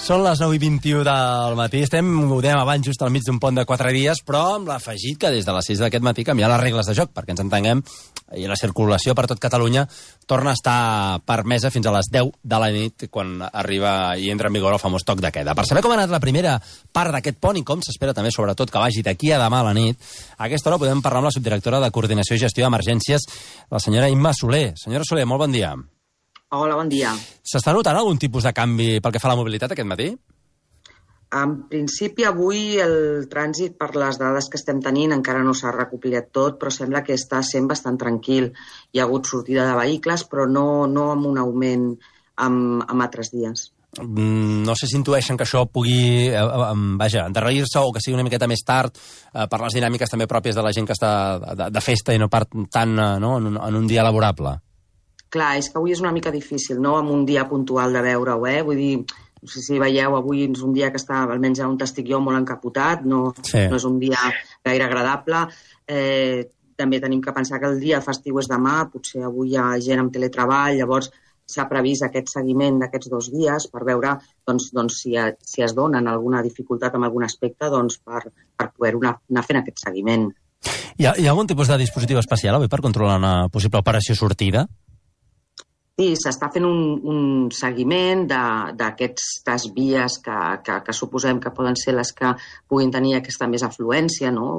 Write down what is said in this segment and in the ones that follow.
Són les 9:21 del matí. Ho dèiem abans, just al mig d'un pont de 4 dies, però amb l'afegit que des de les 6 d'aquest matí canviar les regles de joc, perquè ens entenguem, i la circulació per tot Catalunya torna a estar permesa fins a les 10 de la nit, quan arriba i entra en vigor el famós toc de queda. Per saber com ha anat la primera part d'aquest pont i com s'espera també, sobretot, que vagi d'aquí a demà a la nit, a aquesta hora podem parlar amb la subdirectora de Coordinació i Gestió d'Emergències, la senyora Imma Soler. Senyora Soler, molt bon dia. Hola, bon dia. S'està notant algun tipus de canvi pel que fa a la mobilitat aquest matí? En principi, avui el trànsit, per les dades que estem tenint, encara no s'ha recopilat tot, però sembla que està sent bastant tranquil. Hi ha hagut sortida de vehicles, però no amb un augment amb altres dies. No sé si intueixen que això pugui endarrerir-se o que sigui una miqueta més tard per les dinàmiques també pròpies de la gent que està de festa i no tant en un dia laborable. Clar, és que avui és una mica difícil, no?, amb un dia puntual de veure-ho, Vull dir, no sé si veieu, avui és un dia que està, almenys on estic jo, molt encapotat, no és un dia gaire agradable. També tenim que pensar que el dia festiu és demà, potser avui hi ha gent amb teletreball, llavors s'ha previst aquest seguiment d'aquests 2 dies per veure si es donen alguna dificultat en algun aspecte per poder anar fent aquest seguiment. Hi ha algun tipus de dispositiu especial avui per controlar una possible operació sortida? Sí, s'està fent un seguiment d'aquestes vies que suposem que poden ser les que puguin tenir aquesta més afluència, no?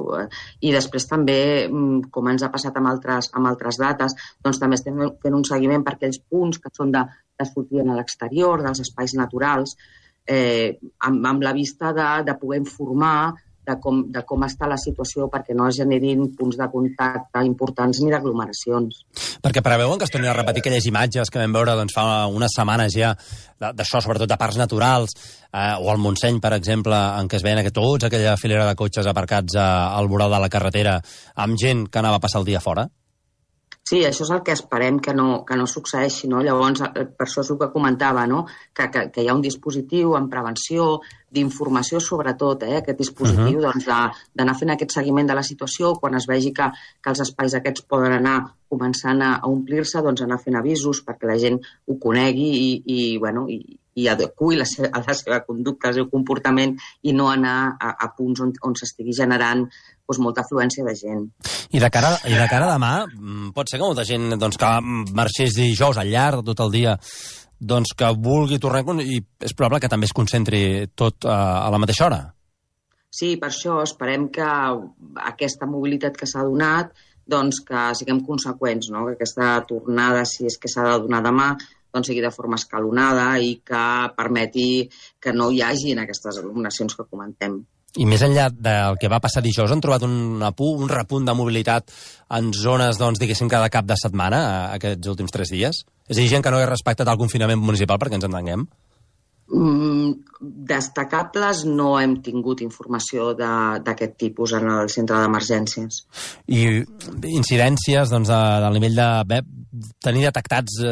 I després també, com ens ha passat amb altres dates, doncs també estem fent un seguiment per aquells punts que són de sortida a l'exterior, dels espais naturals, amb la vista de poder informar de com està la situació perquè no es generin punts de contacte importants ni d'aglomeracions. Perquè preveuen que es tornin a repetir aquelles imatges que vam veure fa unes setmanes ja, d'això, sobretot de parcs naturals, o al Montseny, per exemple, en què es veien tots aquella filera de cotxes aparcats al voral de la carretera amb gent que anava a passar el dia fora? Sí, això és el que esperem que no succeeixi, no? Llavors, per això és el que comentava, no? Que hi ha un dispositiu en prevenció, d'informació sobretot, aquest dispositiu d'anar fent aquest seguiment de la situació, quan es vegi que els espais aquests poden anar començant a omplir-se, doncs anar fent avisos perquè la gent ho conegui i adequi a la seva conducta, al seu comportament, i no anar a punts on s'estigui generant molta afluència de gent. I de cara a demà, pot ser que molta gent que marxés dijous al llarg de tot el dia, que vulgui tornar, i és probable que també es concentri tot a la mateixa hora? Sí, per això esperem que aquesta mobilitat que s'ha donat, que siguem conseqüents, no? Que aquesta tornada, si és que s'ha de donar demà, sigui de forma escalonada i que permeti que no hi hagi aquestes aglomeracions que comentem. I més enllà del que va passar dijous, han trobat un repunt de mobilitat en zones, diguéssim, cada cap de setmana, aquests últims 3 dies? És a dir, gent que no hagués respectat el confinament municipal, perquè ens entenguem? Destacables no hem tingut informació d'aquest tipus en el centre d'emergències. I incidències del nivell de tenir detectats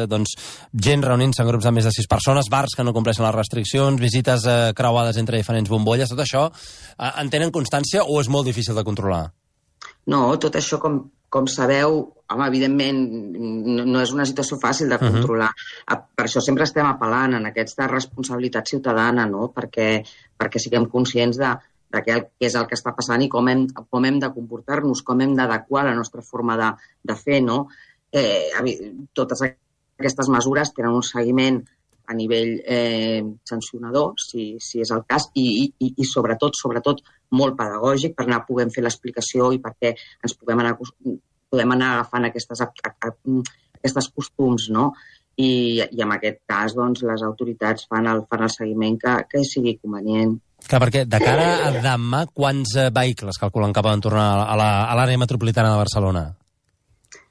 gent reunint-se en grups de més de 6 persones, bars que no compleixen les restriccions, visites creuades entre diferents bombolles, tot això en tenen constància o és molt difícil de controlar? No, tot això, com sabeu, evidentment no és una situació fàcil de controlar. Per això sempre estem apel·lant en aquesta responsabilitat ciutadana, no? Perquè siguem conscients de què és el que està passant i com hem de comportar-nos, com hem d'adequar la nostra forma de fer, no? Totes aquestes mesures tenen un seguiment a nivell sancionador, si és el cas, i sobretot molt pedagògic per anar podent fer l'explicació i perquè ens podem anar agafant aquestes costums, no? I en aquest cas, les autoritats fan el seguiment que sigui convenient. Clar, perquè de cara a demà, quants vehicles calculen que poden tornar a l'àrea metropolitana de Barcelona?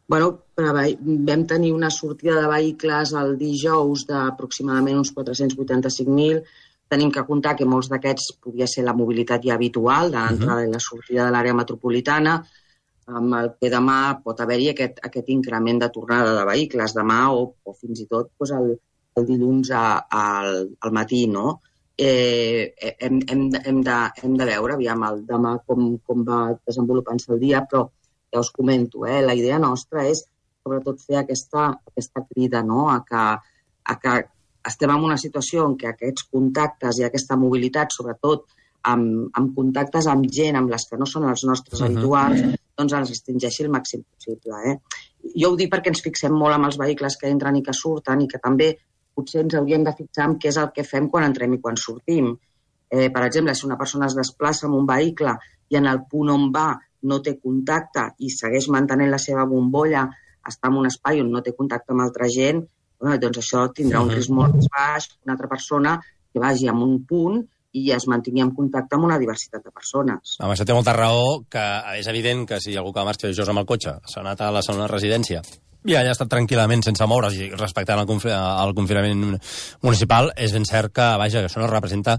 Vam tenir una sortida de vehicles el dijous d'aproximadament uns 485.000. Tenim que comptar que molts d'aquests podria ser la mobilitat ja habitual de l'entrada i la sortida de l'àrea metropolitana, amb el que demà pot haver-hi aquest increment de tornada de vehicles, demà o fins i tot el dilluns al matí, no? Hem de veure, aviam, demà com va desenvolupant-se el dia, però ja us comento, la idea nostra és sobretot fer aquesta crida, no?, a que estem en una situació en què aquests contactes i aquesta mobilitat, sobretot amb contactes amb gent amb les que no són els nostres habituals, doncs ens restringeixi el màxim possible. Jo ho dic perquè ens fixem molt amb els vehicles que entren i que surten i que també potser ens hauríem de fixar en què és el que fem quan entrem i quan sortim. Per exemple, si una persona es desplaça amb un vehicle i en el punt on va no té contacte i segueix mantenint la seva bombolla, està en un espai on no té contacte amb altra gent, doncs això tindrà un risc molt més baix que una altra persona que vagi a un punt i es mantingui en contacte amb una diversitat de persones. Home, això té molta raó, que és evident que si algú que marxa just amb el cotxe s'ha anat a la segona residència i allà ha estat tranquil·lament sense moure's i respectant el confinament municipal, és ben cert que, vaja, que això no representa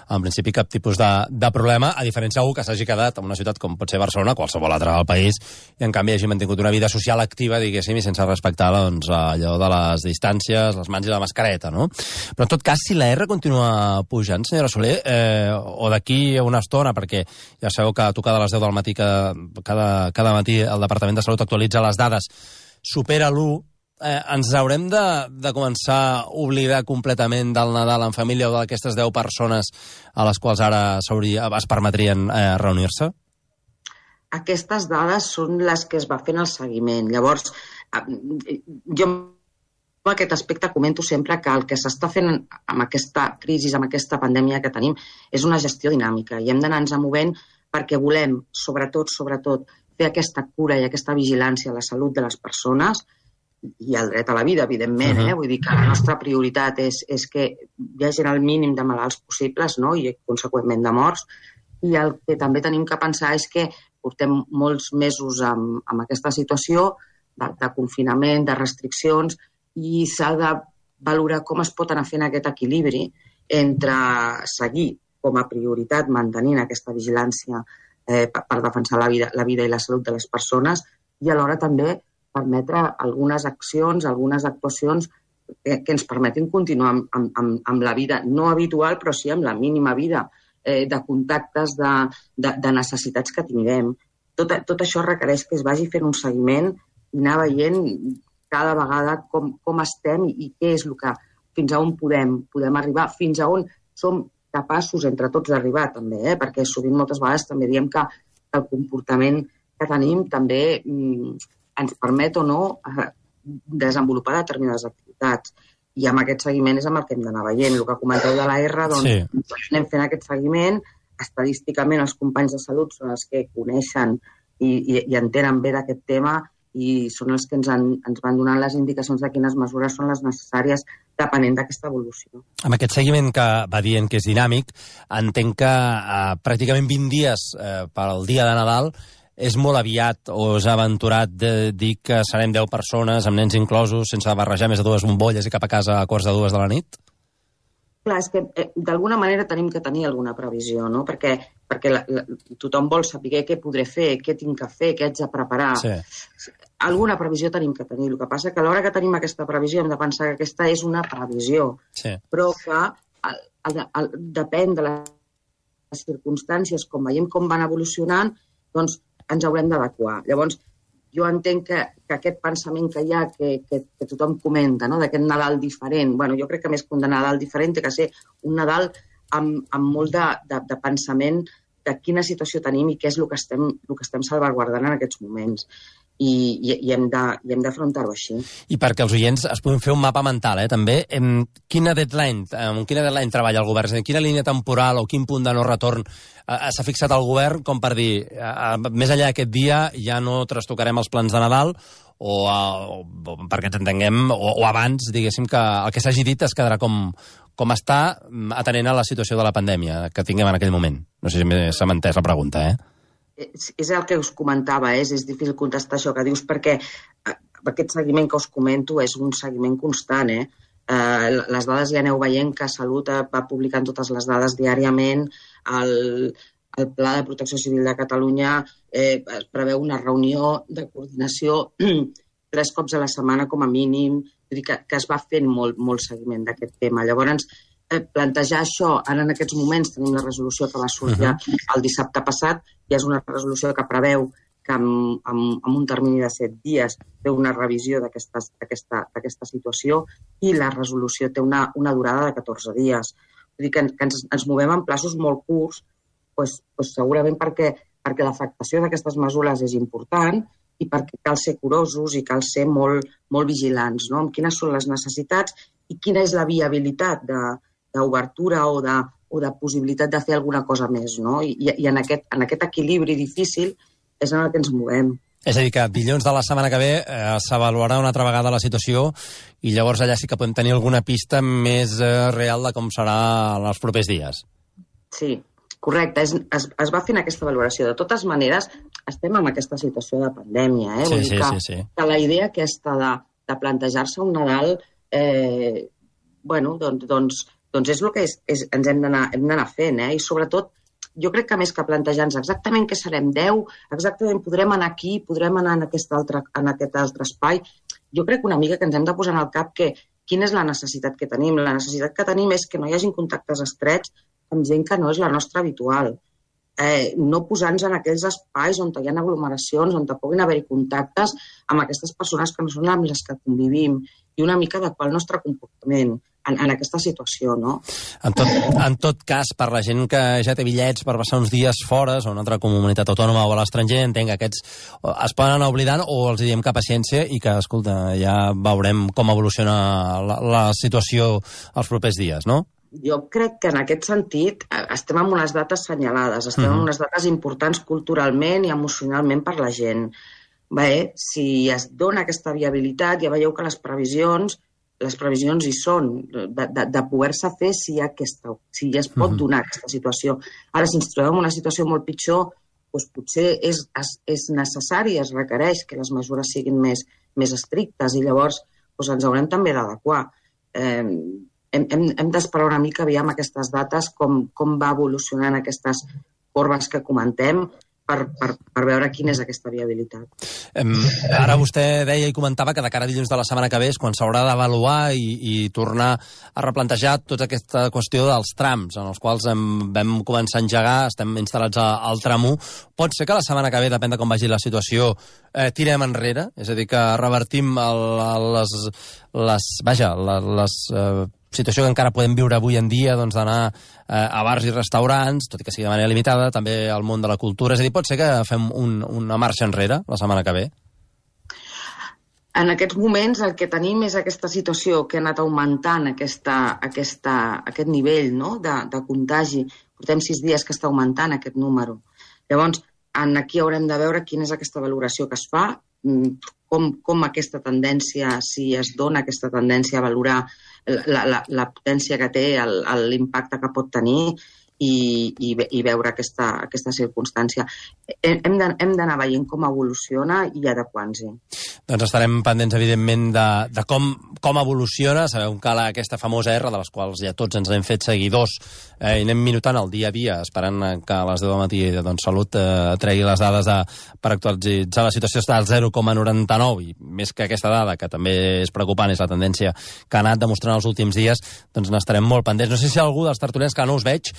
en principi cap tipus de problema, a diferència d'algú que s'hagi quedat en una ciutat com pot ser Barcelona, qualsevol altra del país, i en canvi hagi mantingut una vida social activa, diguéssim, i sense respectar doncs, allò de les distàncies, les mans i la mascareta, no? Però en tot cas, si la R continua pujant, senyora Soler, o d'aquí a una estona, perquè ja sabeu que a tocar de les 10 del matí cada matí el Departament de Salut actualitza les dades, supera l'1, ens haurem de començar a oblidar completament del Nadal en família o d'aquestes 10 persones a les quals ara es permetrien reunir-se? Aquestes dades són les que es va fent el seguiment. Llavors, jo en aquest aspecte comento sempre que el que s'està fent amb aquesta crisi, amb aquesta pandèmia que tenim, és una gestió dinàmica i hem d'anar-nos movent perquè volem, sobretot, fer aquesta cura i aquesta vigilància a la salut de les persones i el dret a la vida, evidentment. Vull dir que la nostra prioritat és que hi hagi el mínim de malalts possibles, no? I, conseqüentment, de morts. I el que també tenim que pensar és que portem molts mesos amb aquesta situació de confinament, de restriccions, i s'ha de valorar com es pot anar fent aquest equilibri entre seguir com a prioritat mantenint aquesta vigilància per defensar la vida i la salut de les persones i alhora també permetre algunes accions, algunes actuacions que ens permetin continuar amb la vida no habitual, però sí amb la mínima vida de contactes, de necessitats que tinguem. Tot això requereix que es vagi fent un seguiment i anar veient cada vegada com estem i què és el que, fins a on podem arribar, fins a on som capaços entre tots d'arribar també, perquè sovint moltes vegades també diem que el comportament que tenim també ens permet o no desenvolupar determinades activitats. I amb aquest seguiment és amb el que hem d'anar veient. El que comenteu de la R, doncs anem fent aquest seguiment. Estadísticament els companys de salut són els que coneixen i entenen bé d'aquest tema i són els que ens van donant les indicacions de quines mesures són les necessàries depenent d'aquesta evolució. Amb aquest seguiment que va dient que és dinàmic, entenc que pràcticament 20 dies pel dia de Nadal és molt aviat o és aventurat de dir que serem 10 persones, amb nens inclosos, sense barrejar més de 2 bombolles i cap a casa a quarts de 2 de la nit? Clar, és que d'alguna manera tenim que tenir alguna previsió, no? Perquè tothom vol saber què podré fer, què tinc que fer, què haig de preparar. Sí. Alguna previsió tenim que tenir. El que passa que a l'hora que tenim aquesta previsió hem de pensar que aquesta és una previsió, però que depèn de les circumstàncies, com veiem com van evolucionant, doncs ens haurem d'adequar. Llavors, jo entenc que aquest pensament que hi ha, que tothom comenta, no? D'aquest Nadal diferent, jo crec que més que un Nadal diferent té que ser un Nadal amb molt de pensament de quina situació tenim i què és el que estem salvaguardant en aquests moments. I hem d'afrontar-ho així. I perquè els oients es puguin fer un mapa mental, també. Quina deadline treballa el govern? Quina línia temporal o quin punt de no retorn s'ha fixat el govern com per dir, més enllà d'aquest dia ja no trastocarem els plans de Nadal o perquè ens entenguem, o abans, diguéssim, que el que s'hagi dit es quedarà com està atenent a la situació de la pandèmia que tinguem en aquell moment. No sé si s'ha entès la pregunta, És el que us comentava, és difícil contestar això que dius perquè aquest seguiment que us comento és un seguiment constant. Les dades ja aneu veient que Salut va publicant totes les dades diàriament, el Pla de Protecció Civil de Catalunya es preveu una reunió de coordinació 3 cops a la setmana com a mínim, vull dir que es va fent molt seguiment d'aquest tema. Llavors, plantejar això, ara en aquests moments tenim la resolució que va sortir el dissabte passat, i és una resolució que preveu que en un termini de 7 dies té una revisió d'aquesta situació i la resolució té una durada de 14 dies. Vull dir que ens movem en plaços molt curts, segurament perquè l'afectació d'aquestes mesures és important i perquè cal ser curosos i cal ser molt vigilants, no? Amb quines són les necessitats i quina és la viabilitat d'obertura o de possibilitat de fer alguna cosa més, no? I en aquest equilibri difícil és en el que ens movem. És a dir, que dilluns de la setmana que ve s'avaluarà una altra vegada la situació i llavors allà sí que podem tenir alguna pista més real de com serà en els propers dies. Sí, correcte. Es va fent aquesta valoració. De totes maneres, estem en aquesta situació de pandèmia. Vull dir que la idea aquesta de plantejar-se un Nadal doncs és el que ens hem d'anar fent. I sobretot, jo crec que més que plantejar-nos exactament què serem 10, exactament podrem anar aquí, podrem anar en aquest altre espai, jo crec una mica que ens hem de posar en el cap que quina és la necessitat que tenim. La necessitat que tenim és que no hi hagin contactes estrets amb gent que no és la nostra habitual. No posar-nos en aquells espais on hi ha aglomeracions, on puguin haver-hi contactes amb aquestes persones que no són amb les que convivim i una mica adequar el nostre comportament en aquesta situació, no? En tot cas, per la gent que ja té bitllets per passar uns dies fora o una altra comunitat autònoma o a l'estranger, entenc que aquests es poden anar oblidant o els diem que paciència i que, escolta, ja veurem com evoluciona la situació els propers dies, no? Jo crec que en aquest sentit estem en unes dates senyalades, estem en unes dates importants culturalment i emocionalment per la gent. Si es dona aquesta viabilitat, ja veieu que les previsions hi són, de poder-se fer si ja es pot donar aquesta situació. Ara, si ens trobem en una situació molt pitjor, potser és necessari, es requereix que les mesures siguin més estrictes i llavors ens haurem també d'adequar. Hem d'esperar una mica, aviam aquestes dates, com va evolucionant aquestes corbes que comentem, per veure quina és aquesta viabilitat. Ara vostè deia i comentava que de cara a dilluns de la setmana que ve és quan s'haurà d'avaluar i tornar a replantejar tota aquesta qüestió dels trams, en els quals vam començar a engegar, estem instal·lats al tram 1. Pot ser que la setmana que ve, depèn de com vagi la situació, tirem enrere? És a dir, que revertim les situació que encara podem viure avui en dia, doncs d'anar a bars i restaurants, tot i que sigui de manera limitada, també al món de la cultura. És a dir, pot ser que fem una marxa enrere la setmana que ve? En aquests moments el que tenim és aquesta situació que ha anat augmentant aquest nivell, no?, de contagi. Portem 6 dies que està augmentant aquest número. Llavors, aquí haurem de veure quina és aquesta valoració que es fa, com aquesta tendència, si es dona aquesta tendència a valorar la potència que té, l'impacte que pot tenir i veure aquesta circumstància. Hem d'anar veient com evoluciona i adequant-s'hi. Doncs estarem pendents, evidentment, de com evoluciona. Sabeu que aquesta famosa R, de les quals ja tots ens hem fet seguidors, i anem minutant el dia a dia, esperant que a les 10 del matí Salut tregui les dades per actualitzar la situació, està al 0,99, i més que aquesta dada, que també és preocupant, és la tendència que ha anat demostrant els últims dies, doncs n'estarem molt pendents. No sé si algú dels tertulians, que no us veig,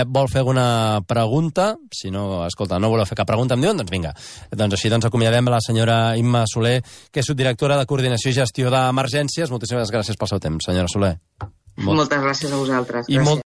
vol fer alguna pregunta. Si no, escolta, no voleu fer cap pregunta, em diuen, doncs vinga. Doncs així acomiadem la senyora Imma Soler, que és subdirectora de Coordinació i Gestió d'Emergències. Moltíssimes gràcies pel seu temps, senyora Soler. Moltes gràcies a vosaltres. I